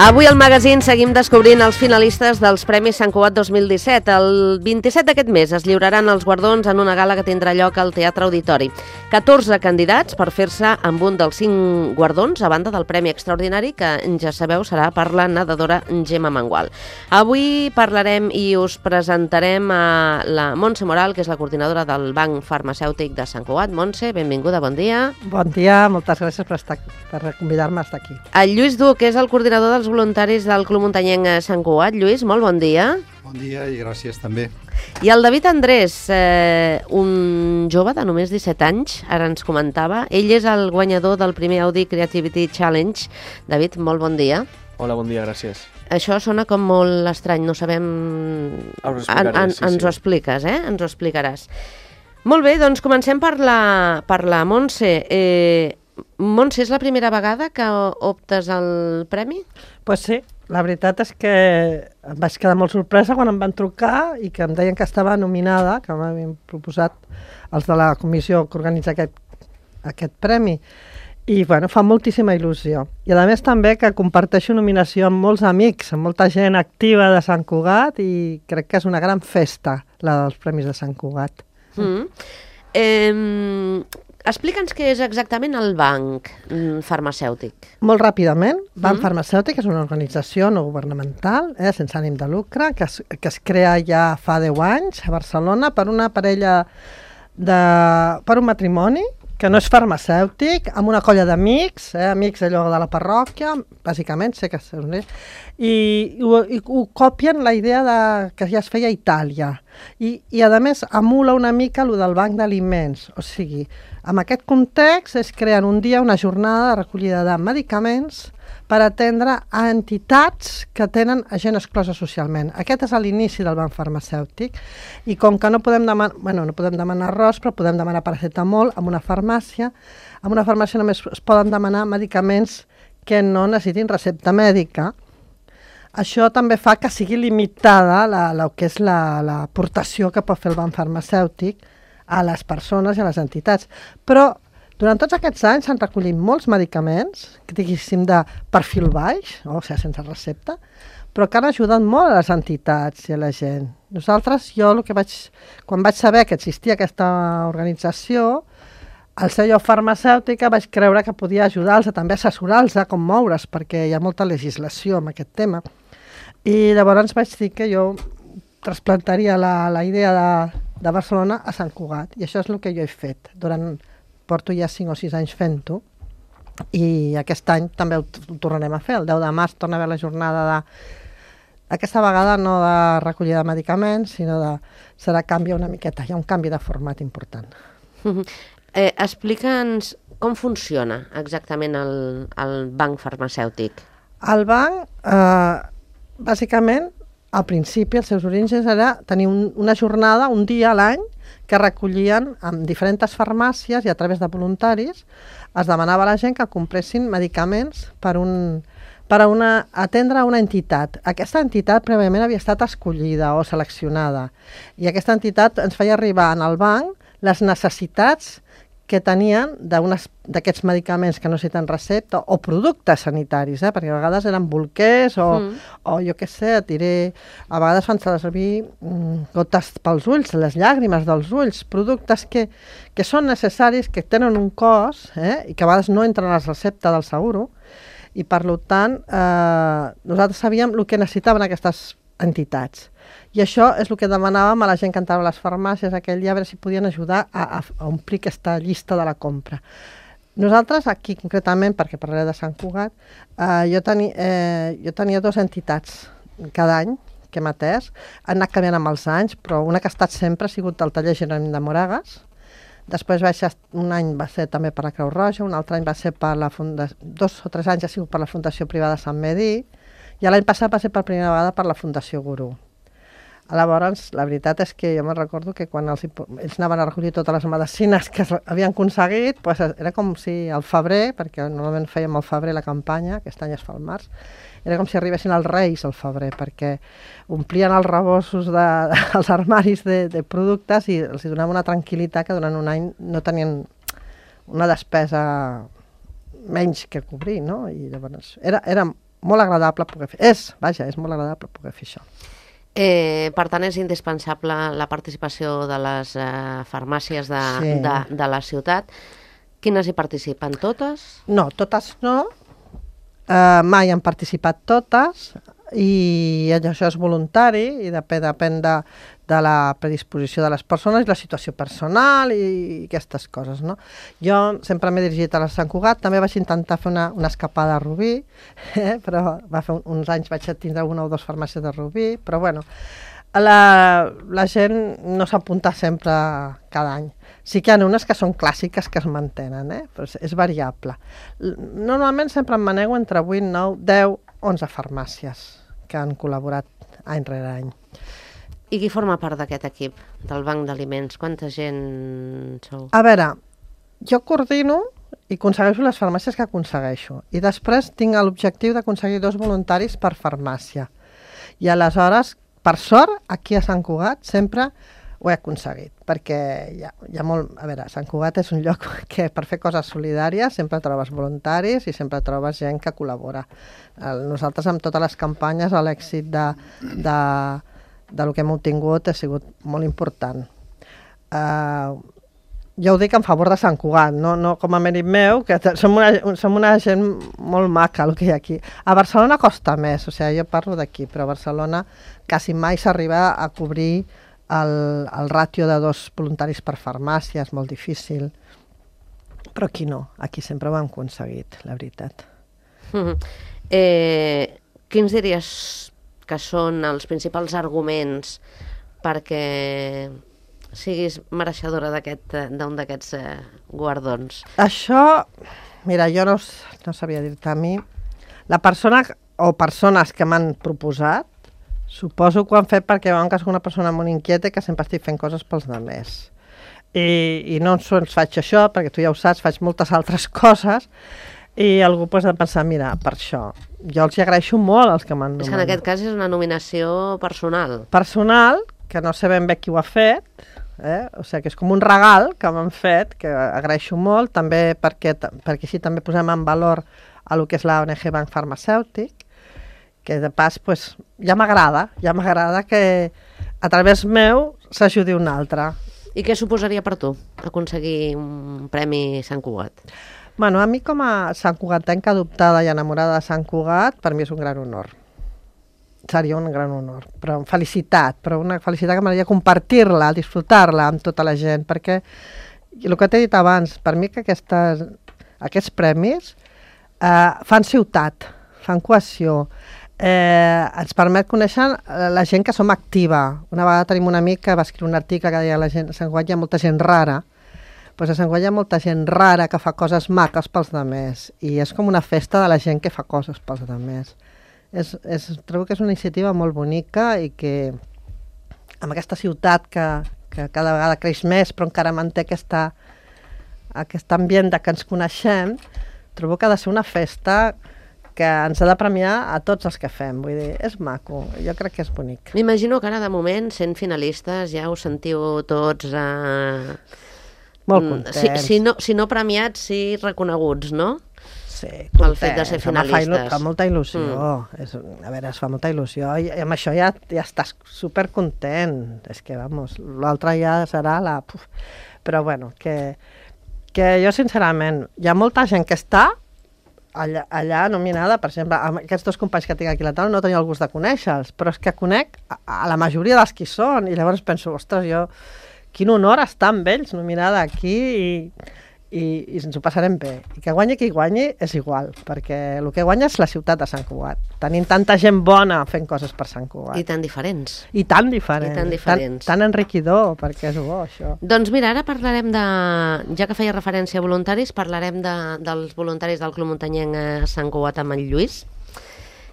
Avui al magazín seguim descobrint els finalistes dels Premis Sant Cugat 2017. El 27 d'aquest mes es lliuraran els guardons en una gala que tindrà lloc al Teatre Auditori. 14 candidats per fer-se amb un dels 5 guardons, a banda del Premi Extraordinari, que ja sabeu serà per la nedadora Gemma Mangual. Avui parlarem i us presentarem a la Montse Moral, que és la coordinadora del Banc Farmacèutic de Sant Cugat. Montse, benvinguda, bon dia. Bon dia, moltes gràcies per convidar-me a estar aquí. El Lluís Duc, que és el coordinador dels voluntaris del Club Muntanyenc Sant Cugat. Lluís, molt bon dia. Bon dia i gràcies també. I el David Andrés, un jove de només 17 anys, ara ens comentava. Ell és el guanyador del primer Audi Creativity Challenge. David, molt bon dia. Hola, bon dia, gràcies. Això sona com molt estrany, no sabem... Ens ho expliques, ens ho explicaràs. Molt bé, doncs comencem per la Montse. Montse, és la primera vegada que optes al premi? Pues sí, la veritat és que em vaig quedar molt sorpresa quan em van trucar i que em deien que estava nominada, que m'havien proposat els de la comissió que organitza aquest premi. I bueno, fa moltíssima il·lusió. I a més també que comparteixo nominació amb molts amics, amb molta gent activa de Sant Cugat, i crec que és una gran festa, la dels Premis de Sant Cugat. Explica'ns què és exactament el Banc Farmacèutic. Molt ràpidament, Banc Farmacèutic és una organització no governamental, sense ànim de lucre, que es crea ja fa 10 anys a Barcelona per una parella, per un matrimoni, que no és farmacèutic, amb una colla d'amics, amics allò de la parròquia, bàsicament, sé que són ells, i ho copien la idea que ja es feia a Itàlia. I a més, emula una mica el del banc d'aliments. O sigui, en aquest context es creen un dia una jornada de recollida de medicaments per atendre a entitats que tenen gent exclosa socialment. Aquest és l'inici del banc farmacèutic, i com que no podem demanar arròs, però podem demanar paracetamol en una farmàcia. En una farmàcia només es poden demanar medicaments que no necessitin recepta mèdica. Això també fa que sigui limitada el que és l'aportació que pot fer el banc farmacèutic a les persones i a les entitats. Però durant tots aquests anys s'han recollit molts medicaments, que diguéssim de perfil baix, o sigui, sense recepta, però que han ajudat molt a les entitats i a la gent. Nosaltres, quan vaig saber que existia aquesta organització, al ser jo farmacèutica vaig creure que podia ajudar-los, també assessorar-los a com moure's, perquè hi ha molta legislació en aquest tema. I llavors vaig dir que jo trasplantaria la idea de Barcelona a Sant Cugat, i això és el que jo he fet. Porto ja 5 o 6 anys fent-ho, i aquest any també ho tornarem a fer. El 10 de març torna a haver la jornada aquesta vegada no de recollida de medicaments, sinó serà canvi una miqueta, hi ha un canvi de format important. Explica'ns com funciona exactament el banc farmacèutic. El banc, bàsicament, al principi, els seus orígens era tenir una jornada, un dia a l'any, que recollien en diferents farmàcies i a través de voluntaris es demanava a la gent que compressin medicaments per atendre una entitat. Aquesta entitat prèviament havia estat escollida o seleccionada, i aquesta entitat ens feia arribar al banc les necessitats que tenien d'aquests medicaments que no necessiten recepta o productes sanitaris, perquè a vegades eren bolquers o jo què sé, a vegades fan servir gotes pels ulls, les llàgrimes dels ulls, productes que són necessaris, que tenen un cost i que a vegades no entren a la recepta del seguro, i per tant nosaltres sabíem el que necessitaven aquestes entitats. I això és el que demanàvem a la gent que entrava a les farmàcies aquell dia, a veure si podien ajudar a omplir aquesta llista de la compra. Nosaltres, aquí concretament, perquè parlaré de Sant Cugat, jo tenia 2 entitats cada any que hem atès. Han anat canviant amb els anys, però una que ha estat sempre ha sigut el taller Jerònim de Moragas. Després un any va ser també per la Creu Roja, un altre any va ser per la Fundació, 2 o 3 anys ha sigut per la Fundació Privada Sant Medi, i l'any passat va ser per primera vegada per la Fundació Gurú. Llavors, la veritat és que jo me'n recordo que quan ells anaven a recollir totes les medicines que havien aconseguit, era com si al febrer, perquè normalment fèiem al febrer la campanya, aquest any es fa al març, era com si arribessin els Reis al febrer, perquè omplien els rebossos dels armaris de productes i els donava una tranquil·litat que durant un any no tenien una despesa menys que cobrir, no? I llavors era molt agradable poder fer. És molt agradable poder fer això. Per tant, és indispensable la participació de les farmàcies de la ciutat. Quines hi participen? Totes? No, totes no. Mai han participat totes i això és voluntari i depèn de la predisposició de les persones i la situació personal i aquestes coses, no? Jo sempre m'he dirigit a la Sant Cugat, també vaig intentar fer una escapada a Rubí, però va fer uns anys vaig tindre una o dues farmàcies de Rubí, però bueno, la gent no s'apunta sempre cada any. Sí que hi ha unes que són clàssiques que es mantenen, però és variable. Normalment sempre em manego entre 8, 9, 10, 11 farmàcies que han col·laborat any rere any. I qui forma part d'aquest equip, del banc d'aliments? Quanta gent sou? A veure, jo coordino i aconsegueixo les farmàcies que aconsegueixo. I després tinc l'objectiu d'aconseguir 2 voluntaris per farmàcia. I aleshores, per sort, aquí a Sant Cugat sempre ho he aconseguit, perquè hi ha molt... A veure, Sant Cugat és un lloc que per fer coses solidàries sempre trobes voluntaris i sempre trobes gent que col·labora. Nosaltres amb totes les campanyes l'èxit de lo que hem obtingut ha sigut molt important. Jo ho dic en favor de Sant Cugat, no com a mèrit meu, que som una gent molt maca el que hi ha aquí. A Barcelona costa més, o sigui, jo parlo d'aquí, però a Barcelona quasi mai s'arriba a cobrir el ràtio de 2 voluntaris per farmàcia, és molt difícil, però aquí no, aquí sempre ho hem aconseguit, la veritat. Quins diries que són els principals arguments perquè siguis mereixedora d'un d'aquests guardons? Això, mira, jo no sabria dir-te a mi. La persona o persones que m'han proposat, suposo que ho han fet perquè veuen que soc una persona molt inquieta i que sempre estic fent coses pels altres. I no sols faig això, perquè tu ja ho saps, faig moltes altres coses, i algú ha de pensar, mira, per això. Jo els agraeixo molt als que m'han nomenat. És que en aquest cas és una nominació personal. Personal, que no sé ben bé qui ho ha fet, o sigui que és com un regal que m'han fet, que agraeixo molt, també perquè així també posem en valor el que és la ONG Banc Farmacèutic, que de pas, pues, ja m'agrada que a través meu s'ajudi un altre. I què suposaria per tu aconseguir un Premi Sant Cugat? Bueno, a mi com a santcugatenca adoptada i enamorada de Sant Cugat, per mi és un gran honor. Seria un gran honor, però una felicitat que m'agradaria compartir-la, disfrutar-la amb tota la gent, perquè el que t'he dit abans, per mi que aquests premis fan ciutat, fan cohesió, ens permet conèixer la gent que som activa. Una vegada tenim un amic que va escriure un article que deia a Sant Cugat hi ha molta gent rara. Doncs a Sant Cugat hi ha molta gent rara que fa coses maques pels altres i és com una festa de la gent que fa coses pels altres. Trobo que és una iniciativa molt bonica i que amb aquesta ciutat que cada vegada creix més però encara manté aquest ambient de que ens coneixem, trobo que ha de ser una festa que ens ha de premiar a tots els que fem. Vull dir, és maco, jo crec que és bonic. M'imagino que ara, de moment, sent finalistes, ja us sentiu tots... molt contents. Si no premiats, sí reconeguts, no? Sí, contents. El fet de ser finalistes. Fa molta il·lusió. A veure, es fa molta il·lusió. I amb això ja estàs supercontent. És que, vamos, l'altre ja serà la... Però, bueno, que jo, sincerament, hi ha molta gent que està allà nominada, per exemple, amb aquests 2 companys que tinc aquí a la taula no tenia el gust de conèixer-los, però és que conec a la majoria dels qui són i llavors penso, ostres, quin honor estar amb ells nominada aquí i ens ho passarem bé. I que guanyi qui guanyi és igual, perquè el que guanya és la ciutat de Sant Cugat. Tenim tanta gent bona fent coses per Sant Cugat. I tan diferents. I tan diferents. Tan enriquidor, perquè és bo, això. Doncs mira, ara parlarem ja que feia referència a voluntaris, parlarem dels voluntaris del Club Muntanyenc a Sant Cugat amb el Lluís.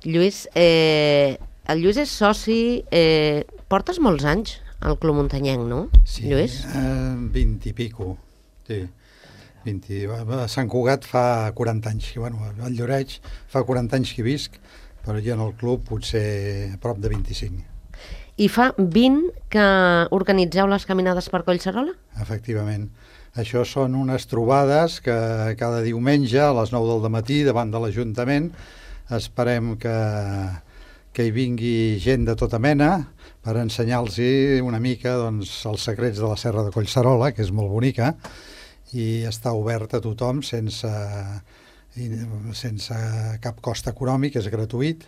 Lluís, el Lluís és soci... Portes molts anys al Club Muntanyenc, no, Lluís? Sí, 20 i pico, sí. A Sant Cugat fa 40 anys, bueno, al Lloreig fa 40 anys que visc, però ja en el club potser a prop de 25. I fa 20 que organitzeu les caminades per Collserola? Efectivament. Això són unes trobades que cada diumenge a les 9 del matí davant de l'Ajuntament esperem que hi vingui gent de tota mena per ensenyar-los una mica doncs, els secrets de la Serra de Collserola, que és molt bonica, i està obert a tothom sense cap cost econòmic, és gratuït,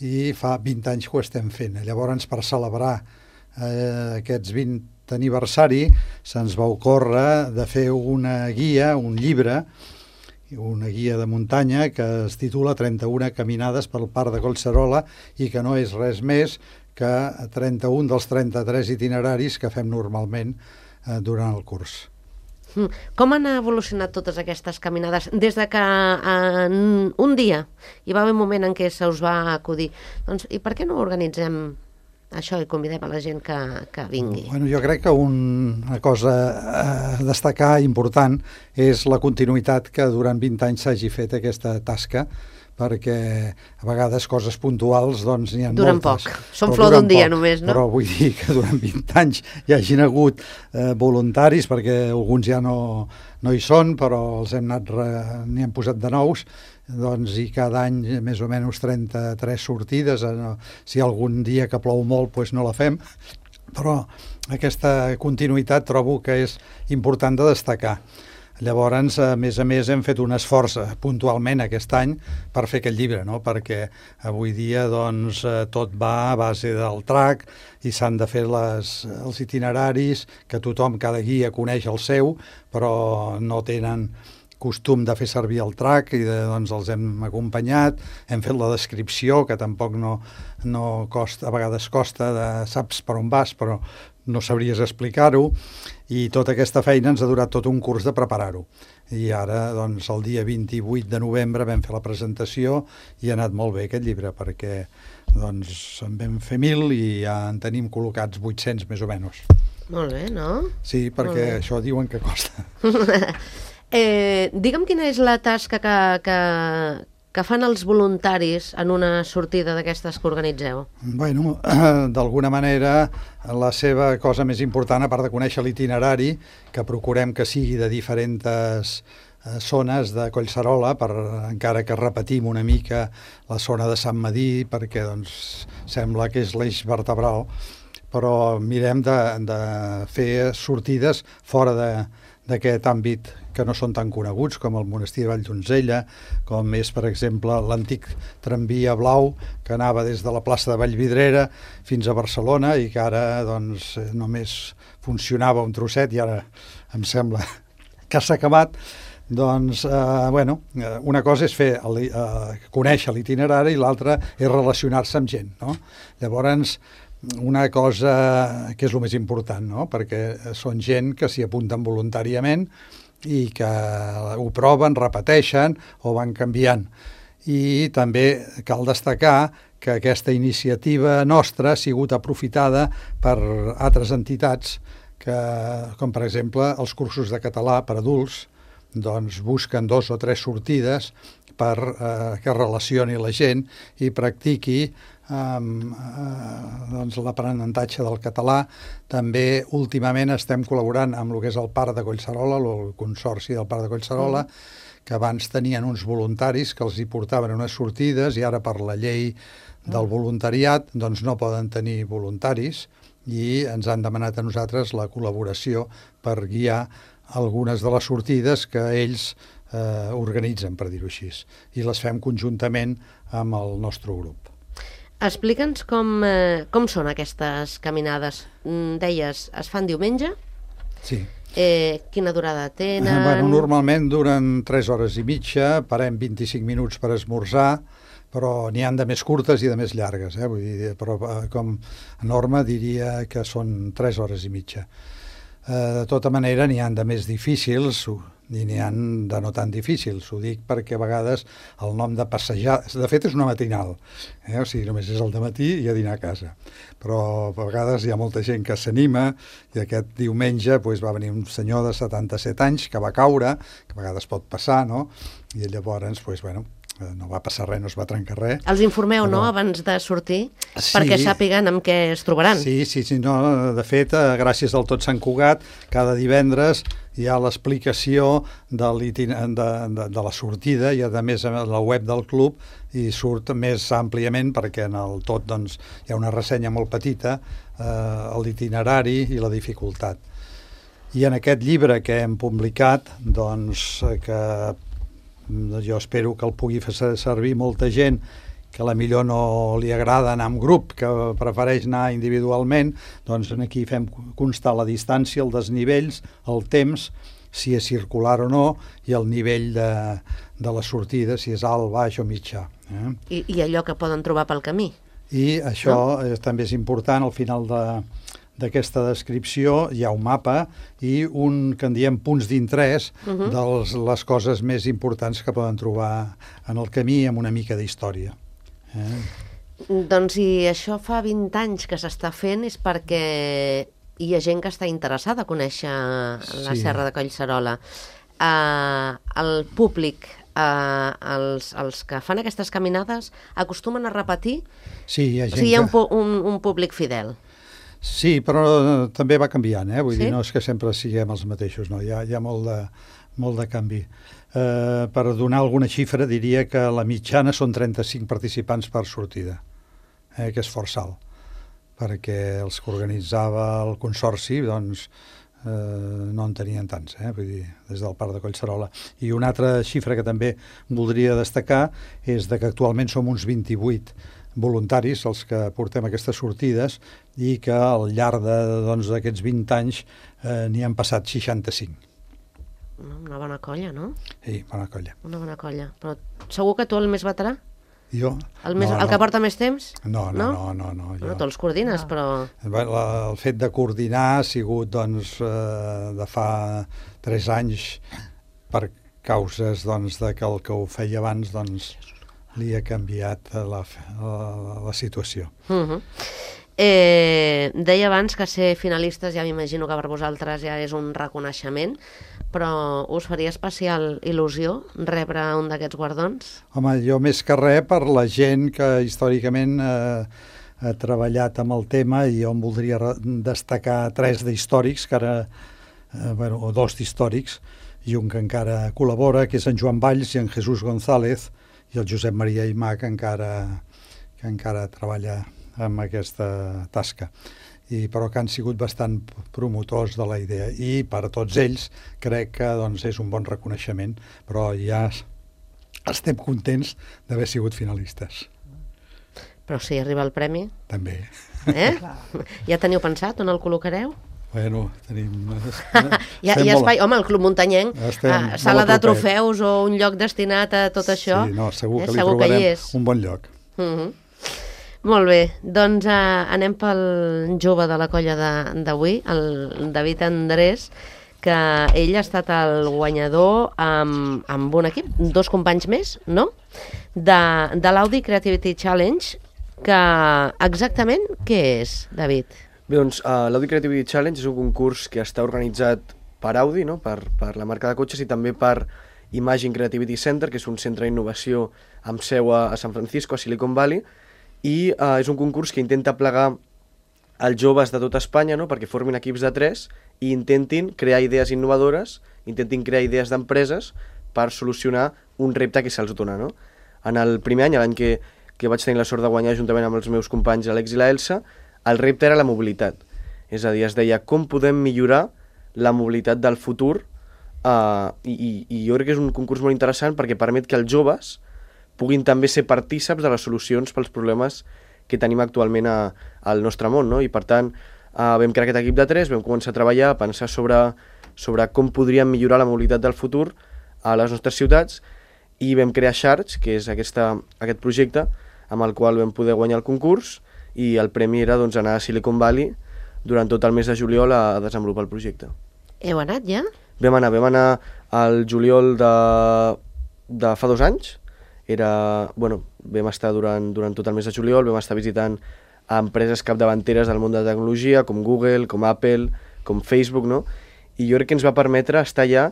i fa 20 anys que ho estem fent. Llavors, per celebrar aquests 20 aniversari, se'ns va ocórrer de fer una guia, un llibre, una guia de muntanya que es titula 31 caminades pel Parc de Collserola i que no és res més que 31 dels 33 itineraris que fem normalment durant el curs. Com han evolucionat totes aquestes caminades des de que en un dia hi va haver un moment en què se us va acudir? Doncs, i per què no organitzem això i convidem a la gent que vingui? Bueno, jo crec que una cosa a destacar important és la continuïtat que durant 20 anys s'hagi fet aquesta tasca, perquè a vegades coses puntuals doncs n'hi ha duren moltes. Poc, són flor d'un dia només, no? Però vull dir que durant 20 anys hi hagin hagut voluntaris, perquè alguns ja no hi són, però els n'hi hem posat de nous, doncs, i cada any més o menys 33 sortides, si algun dia que plou molt doncs no la fem, però aquesta continuïtat trobo que és important de destacar. Llavors, a més, hem fet un esforç puntualment aquest any per fer aquest llibre, no? Perquè avui dia doncs, tot va a base del track i s'han de fer els itineraris, que tothom, cada guia coneix el seu, però no tenen costum de fer servir el track i doncs els hem acompanyat, hem fet la descripció, que tampoc no costa, a vegades costa, saps per on vas, però no sabries explicar-ho, i tota aquesta feina ens ha durat tot un curs de preparar-ho. I ara, doncs, el dia 28 de novembre vam fer la presentació i ha anat molt bé aquest llibre, perquè doncs, en vam fer 1.000 i ja en tenim col·locats 800 més o menys. Molt bé, no? Sí, perquè això diuen que costa. Digue'm quina és la tasca que fan els voluntaris en una sortida d'aquestes que organitzeu? Bueno, d'alguna manera, la seva cosa més important, a part de conèixer l'itinerari, que procurem que sigui de diferents zones de Collserola, encara que repetim una mica la zona de Sant Medir, perquè doncs, sembla que és l'eix vertebral, però mirem de fer sortides fora d'aquest àmbit que no són tan coneguts, com el monestir de Valldonzella, com és, per exemple, l'antic tramvia blau que anava des de la plaça de Vallvidrera fins a Barcelona i que ara doncs, només funcionava un trosset i ara em sembla que s'ha acabat. Doncs, una cosa és conèixer l'itinerari i l'altra és relacionar-se amb gent, no? Llavors, una cosa que és el més important, no? Perquè són gent que s'hi apunten voluntàriament i que ho proven, repeteixen o van canviant. I també cal destacar que aquesta iniciativa nostra ha sigut aprofitada per altres entitats com per exemple els cursos de català per adults, doncs busquen 2 o 3 sortides per que relacioni la gent i practiqui doncs, l'aprenentatge del català. També últimament estem col·laborant amb el que és el Parc de Collserola, el Consorci del Parc de Collserola, que abans tenien uns voluntaris que els hi portaven unes sortides i ara per la llei del voluntariat doncs no poden tenir voluntaris i ens han demanat a nosaltres la col·laboració per guiar algunes de les sortides que ells organitzen, per dir-ho així, i les fem conjuntament amb el nostre grup. Explica'ns com són aquestes caminades. Deies, es fan diumenge? Sí. Quina durada tenen? Bueno, normalment duren 3 hores i mitja, parem 25 minuts per esmorzar, però n'hi han de més curtes i de més llargues, vull dir, però com a norma diria que són 3 hores i mitja. De tota manera n'hi han de més difícils i n'hi han de no tan difícils. Ho dic perquè a vegades el nom de passejar... De fet és una matinal, o sigui, només és el dematí i a dinar a casa. Però a vegades hi ha molta gent que s'anima i aquest diumenge va venir un senyor de 77 anys que va caure, que a vegades pot passar, no? I llavors no va passar res, no es va trencar res. Els informeu, no?, abans de sortir, perquè sàpiguen amb què es trobaran. Sí, no, de fet, gràcies al Tot Sant Cugat, cada divendres hi ha l'explicació de la sortida i, a més, a la web del club i surt més àmpliament perquè en el tot doncs, hi ha una ressenya molt petita, l'itinerari i la dificultat. I en aquest llibre que hem publicat, doncs, que jo espero que el pugui fer servir molta gent que a la millor no li agrada anar en grup, que prefereix anar individualment, doncs aquí fem constar la distància, els desnivells, el temps, si és circular o no, i el nivell de la sortida, si és alt, baix o mitjà. I allò que poden trobar pel camí. I això també és important, al final d'aquesta descripció hi ha un mapa i un que en diem punts d'interès de les coses més importants que poden trobar en el camí amb una mica d'història. Doncs si això fa 20 anys que s'està fent és perquè hi ha gent que està interessada a conèixer la Serra de Collserola. El públic, els que fan aquestes caminades acostumen a repetir? Sí, hi ha gent hi ha un públic fidel. Sí, però també va canviant, vull dir, no és que sempre siguem els mateixos, no, hi ha molt de canvi. Per donar alguna xifra diria que la mitjana són 35 participants per sortida, que és força alt, perquè els que organitzava el consorci doncs no en tenien tants, vull dir, des del Parc de Collserola. I una altra xifra que també voldria destacar és que actualment som uns 28 voluntaris els que portem aquestes sortides i que al llarg d'aquests 20 anys n'hi han passat 65. Una bona colla, no? Sí, bona colla. Una bona colla. Però segur que tu el més veterà? Jo? El que porta més temps? No. Tu els coordines, però... El fet de coordinar ha sigut, doncs, de fa 3 anys per causes, doncs, de que el que ho feia abans, doncs, li ha canviat la situació. Deia abans que ser finalistes, ja m'imagino que per vosaltres ja és un reconeixement, però us faria especial il·lusió rebre un d'aquests guardons? Home, jo més que res per la gent que històricament ha treballat amb el tema, i jo em voldria destacar 3 d'històrics, o 2 d'històrics, i un que encara col·labora, que és en Joan Valls i en Jesús González, i el Josep Maria Aimà, que encara treballa amb aquesta tasca, però que han sigut bastant promotors de la idea, i per a tots ells crec que doncs, és un bon reconeixement, però ja estem contents d'haver sigut finalistes. Però si arriba el premi? També. Ja teniu pensat on el col·locareu? Bueno, tenim... Hi ha espai, home, el Club Muntanyenc, sala de trofeus o un lloc destinat a tot això. Sí, no, segur que li trobarem un bon lloc. Molt bé, doncs anem pel jove de la colla d'avui, el David Andrés, que ell ha estat el guanyador amb un equip, 2 companys més, no?, de l'Audi Creativity Challenge, que exactament què és, David? Bé, doncs l'Audi Creativity Challenge és un concurs que està organitzat per Audi, no?, per la marca de cotxes, i també per Imagine Creativity Center, que és un centre d'innovació amb seu a San Francisco, a Silicon Valley, i és un concurs que intenta plegar els joves de tota Espanya, no?, perquè formin equips de 3 i intentin crear idees innovadores, intentin crear idees d'empreses per solucionar un repte que se'ls dona, no? En el primer any, l'any que vaig tenir la sort de guanyar juntament amb els meus companys Alex i la Elsa, el repte era la mobilitat. És a dir, es deia com podem millorar la mobilitat del futur, i jo crec que és un concurs molt interessant perquè permet que els joves puguin també ser partíceps de les solucions pels problemes que tenim actualment al nostre món, no? I per tant vam crear aquest equip de 3, vam començar a treballar, a pensar sobre com podríem millorar la mobilitat del futur a les nostres ciutats, i vam crear Charge, que és aquest projecte amb el qual vam poder guanyar el concurs, i el premi era doncs, anar a Silicon Valley durant tot el mes de juliol a desenvolupar el projecte. Heu anat ja? Vam anar al juliol de fa 2 anys. Vam estar durant tot el mes de juliol, vam estar visitant empreses capdavanteres del món de la tecnologia, com Google, com Apple, com Facebook, no? I jo crec que ens va permetre estar allà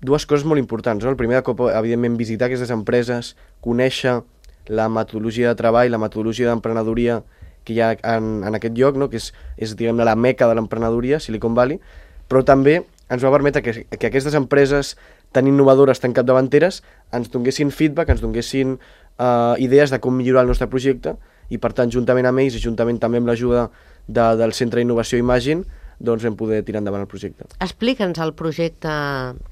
dues coses molt importants, no? El primer de cop, evidentment, visitar aquestes empreses, conèixer la metodologia de treball, la metodologia d'emprenedoria que hi ha en aquest lloc, no? Que és diguem-ne, la meca de l'emprenedoria, Silicon Valley, però també ens va permetre que aquestes empreses tan innovadores, tan capdavanteres, ens donguessin feedback, ens donguessin idees de com millorar el nostre projecte, i per tant, juntament amb ells i juntament també amb l'ajuda del Centre d'Innovació Imagine, doncs vam poder tirar endavant el projecte. Explica'ns el projecte,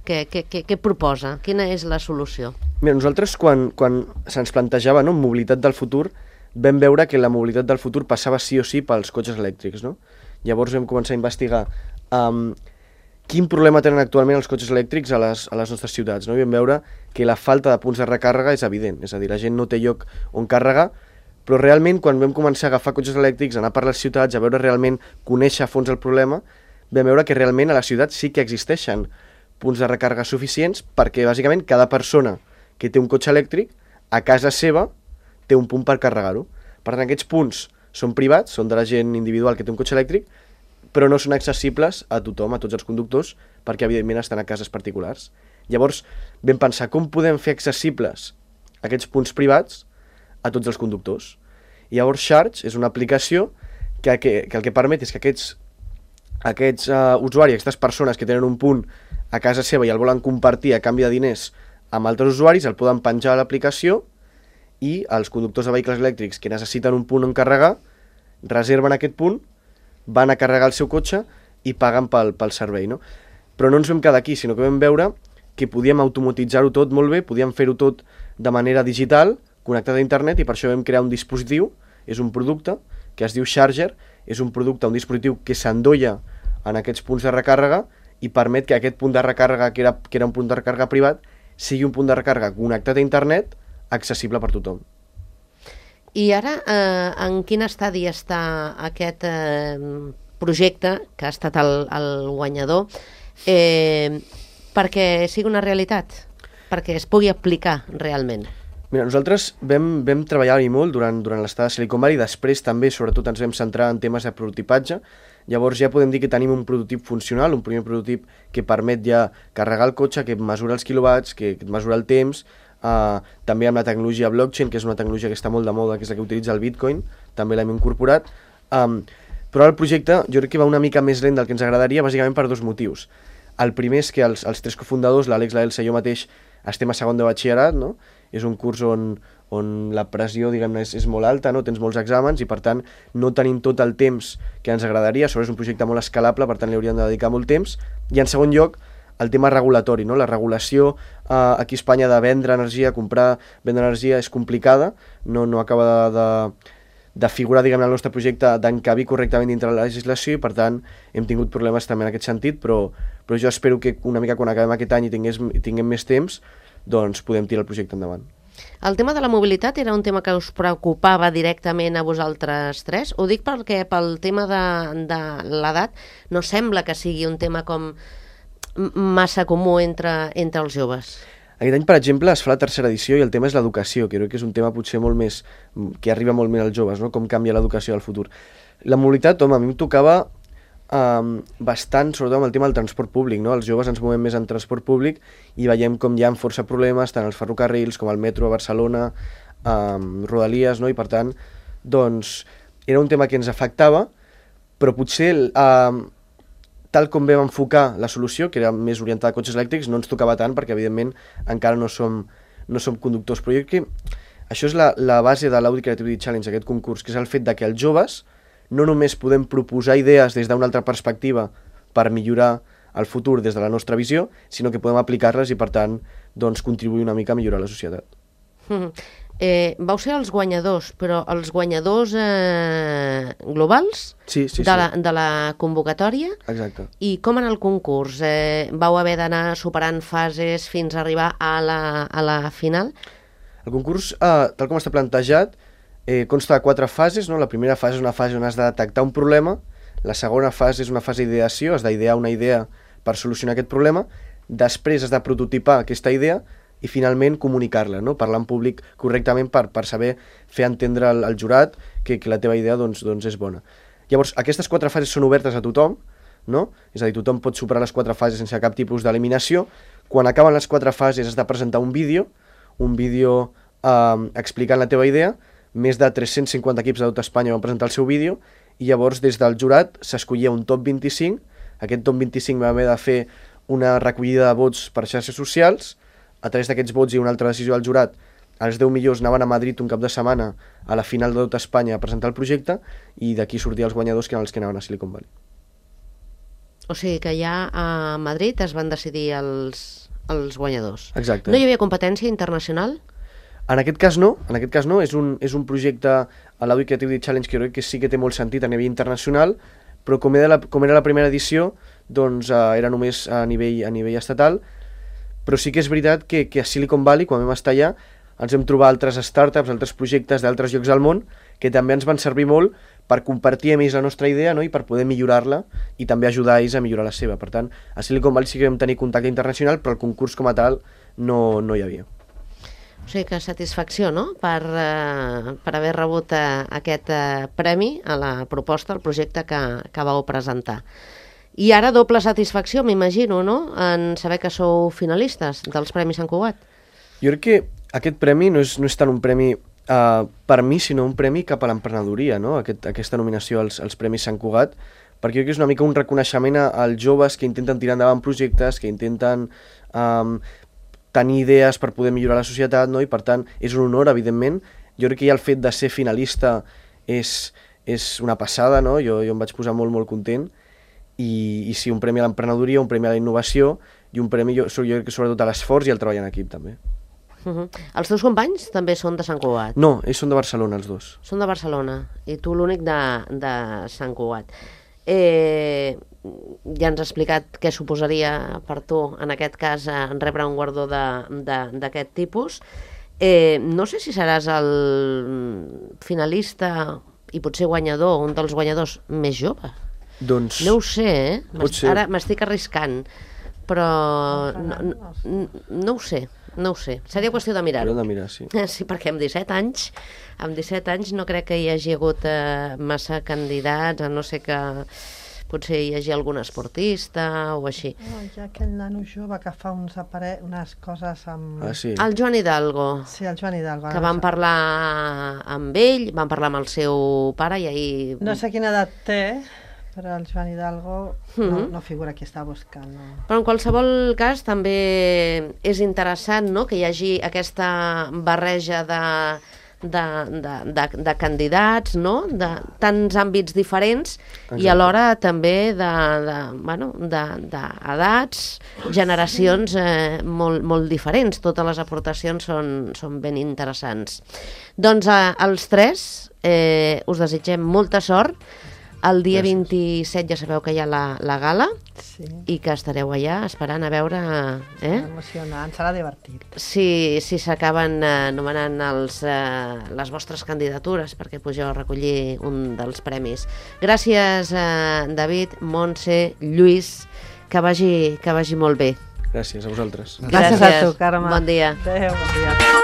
què proposa, quina és la solució? Mira, nosaltres quan se'ns plantejava, no, mobilitat del futur, vam veure que la mobilitat del futur passava sí o sí pels cotxes elèctrics, no? Llavors vam començar a investigar quin problema tenen actualment els cotxes elèctrics a les nostres ciutats, no? I vam veure que la falta de punts de recàrrega és evident, és a dir, la gent no té lloc on carregar, però realment quan vam començar a agafar cotxes elèctrics, anar per les ciutats, a veure realment, conèixer a fons el problema, vam veure que realment a la ciutat sí que existeixen punts de recàrrega suficients perquè bàsicament cada persona que té un cotxe elèctric a casa seva té un punt per carregar-ho. Per tant, aquests punts són privats, són de la gent individual que té un cotxe elèctric, però no són accessibles a tothom, a tots els conductors, perquè evidentment estan a cases particulars. Llavors vam pensar com podem fer accessibles aquests punts privats a tots els conductors. I llavors Charge és una aplicació que el que permet és que aquests usuaris, aquestes persones que tenen un punt a casa seva i el volen compartir a canvi de diners amb altres usuaris, el poden penjar a l'aplicació i els conductors de vehicles elèctrics que necessiten un punt on carregar, reserven aquest punt, van a carregar el seu cotxe i paguen pel servei, no? Però no ens vam quedar aquí, sinó que vam veure que podíem automatitzar-ho tot molt bé, podíem fer-ho tot de manera digital, connectat a internet, i per això vam crear un dispositiu, és un producte que es diu Charger, és un producte, un dispositiu que s'endolla en aquests punts de recàrrega i permet que aquest punt de recàrrega, que era un punt de recàrrega privat, sigui un punt de recàrrega connectat a internet, accessible per tothom. I ara, en quin estadi està aquest projecte, que ha estat el guanyador, perquè sigui una realitat, perquè es pugui aplicar realment? Mira, nosaltres vam treballar-hi molt durant l'estada a Silicon Valley, després també, sobretot, ens vam centrar en temes de prototipatge. Llavors ja podem dir que tenim un prototip funcional, un primer prototip que permet ja carregar el cotxe, que mesura els quilowatts, que mesura el temps, també amb la tecnologia blockchain, que és una tecnologia que està molt de moda, que és la que utilitza el Bitcoin, també l'hem incorporat. Però el projecte jo crec que va una mica més lent del que ens agradaria, bàsicament per dos motius. El primer és que els tres cofundadors, l'Àlex, l'Elsa i jo mateix, estem a segon de batxillerat, no? És un curs on la pressió, diguem-ne, és molt alta, no? Tens molts exàmens i, per tant, no tenim tot el temps que ens agradaria. Sobre és un projecte molt escalable, per tant, li hauríem de dedicar molt temps. I, en segon lloc, el tema regulatori, no? La regulació aquí a Espanya de vendre energia, comprar, vendre energia és complicada, no acaba de figurar, diguem-ne, el nostre projecte d'encabir correctament dintre la legislació i, per tant, hem tingut problemes també en aquest sentit, però jo espero que una mica quan acabem aquest any i tinguem més temps, doncs podem tirar el projecte endavant. El tema de la mobilitat era un tema que us preocupava directament a vosaltres tres? Ho dic perquè pel tema de l'edat no sembla que sigui un tema com massa comú entre els joves. Aquest any, per exemple, es fa la tercera edició i el tema és l'educació, que crec que és un tema potser molt més, que arriba molt més als joves, no? Com canvia l'educació del futur. La mobilitat, home, a mi em tocava bastant, sobretot amb el tema del transport públic, no? Els joves ens movem més en transport públic i veiem com hi ha força problemes, tant els ferrocarrils com el metro a Barcelona, Rodalies, no? I per tant, doncs, era un tema que ens afectava, però potser tal com vam enfocar la solució, que era més orientada a cotxes elèctrics, no ens tocava tant perquè, evidentment, encara no som conductors. Però jo crec que això és la base de l'Audi Creativity Challenge, aquest concurs, que és el fet de que els joves no només podem proposar idees des d'una altra perspectiva per millorar el futur des de la nostra visió, sinó que podem aplicar-les i, per tant, doncs, contribuir una mica a millorar la societat. Vau ser els guanyadors, però els guanyadors globals de la convocatòria. Exacte. I com en el concurs? Vau haver d'anar superant fases fins a arribar a la final? El concurs, tal com està plantejat, consta de 4 fases, no? La primera fase és una fase on has de detectar un problema, la segona fase és una fase d'ideació, has d'idear una idea per solucionar aquest problema, després has de prototipar aquesta idea i finalment comunicar-la, no? Parlar en públic correctament per saber fer entendre al jurat que la teva idea doncs és bona. Llavors, aquestes 4 fases són obertes a tothom, no? És a dir, tothom pot superar les 4 fases sense cap tipus d'eliminació. Quan acaben les 4 fases has de presentar un vídeo explicant la teva idea. Més de 350 equips de tot Espanya van presentar el seu vídeo i llavors des del jurat s'escollia un top 25. Aquest top 25 va haver de fer una recollida de vots per xarxes socials. A través d'aquests vots i una altra decisió del jurat, els 10 millors anaven a Madrid un cap de setmana a la final de tot Espanya a presentar el projecte i d'aquí sortien els guanyadors, que eren els que anaven a Silicon Valley. O sigui que ja a Madrid es van decidir els guanyadors. Exacte. No hi havia competència internacional? En aquest cas no, és un projecte a l'Audi Creativity Challenge que crec que sí que té molt sentit a nivell internacional, però com era la primera edició, doncs era només a nivell estatal, però sí que és veritat que a Silicon Valley, quan vam estar allà, ens vam trobar altres startups, altres projectes d'altres llocs del món, que també ens van servir molt per compartir amb ells la nostra idea, no? I per poder millorar-la i també ajudar ells a millorar la seva. Per tant, a Silicon Valley sí que vam tenir contacte internacional, però el concurs com a tal no hi havia. O sigui que satisfacció, no?, per haver rebut aquest premi a la proposta, al projecte que vau presentar. I ara doble satisfacció, m'imagino, no?, en saber que sou finalistes dels Premis Sant Cugat. Jo crec que aquest premi no és tant un premi per mi, sinó un premi cap a l'emprenedoria, no?, aquesta nominació als Premis Sant Cugat, perquè jo crec que és una mica un reconeixement als joves que intenten tirar endavant projectes, que intenten tenir idees per poder millorar la societat, no?, i per tant és un honor, evidentment. Jo crec que ja el fet de ser finalista és una passada, no?, jo em vaig posar molt, molt content, i sí, un premi a l'emprenedoria, un premi a la innovació, i un premi, jo crec que sobretot a l'esforç i al treball en equip, també. Els teus companys també són de Sant Cugat? No, ells són de Barcelona, els dos. Són de Barcelona, i tu l'únic de Sant Cugat. Ja ens has explicat què suposaria per tu, en aquest cas, rebre un guardó d'aquest tipus. No sé si seràs el finalista i potser guanyador, un dels guanyadors més jove. Doncs... No ho sé, ara m'estic arriscant, però no ho sé. Seria qüestió de mirar-ho. De mirar, sí. Sí, perquè amb 17 anys no crec que hi hagi hagut massa candidats, a no ser que potser hi hagi algun esportista o així. Hi ha aquell nano jove que fa unes coses amb... Ah, sí. El Joan Hidalgo. Sí, el Joan Hidalgo. Que van parlar amb ell, van parlar amb el seu pare i ahir... No sé quina edat té, però el Joan Hidalgo no figura qui està buscant. No. Però en qualsevol cas també és interessant, no?, que hi hagi aquesta barreja de candidats, no?, de tants àmbits diferents. Exacte. I alhora també d'edats, generacions molt diferents. Totes les aportacions són ben interessants. Doncs els tres us desitgem molta sort. El dia 27 ja sabeu que hi ha la gala, sí, i que estareu allà esperant a veure... Emocionant, serà divertit. Si s'acaben nomenant les vostres candidatures perquè pugeu a recollir un dels premis. Gràcies, David, Montse, Lluís, que vagi molt bé. Gràcies a vosaltres. Gràcies a tu, Carme. Bon dia. Adéu, bon dia.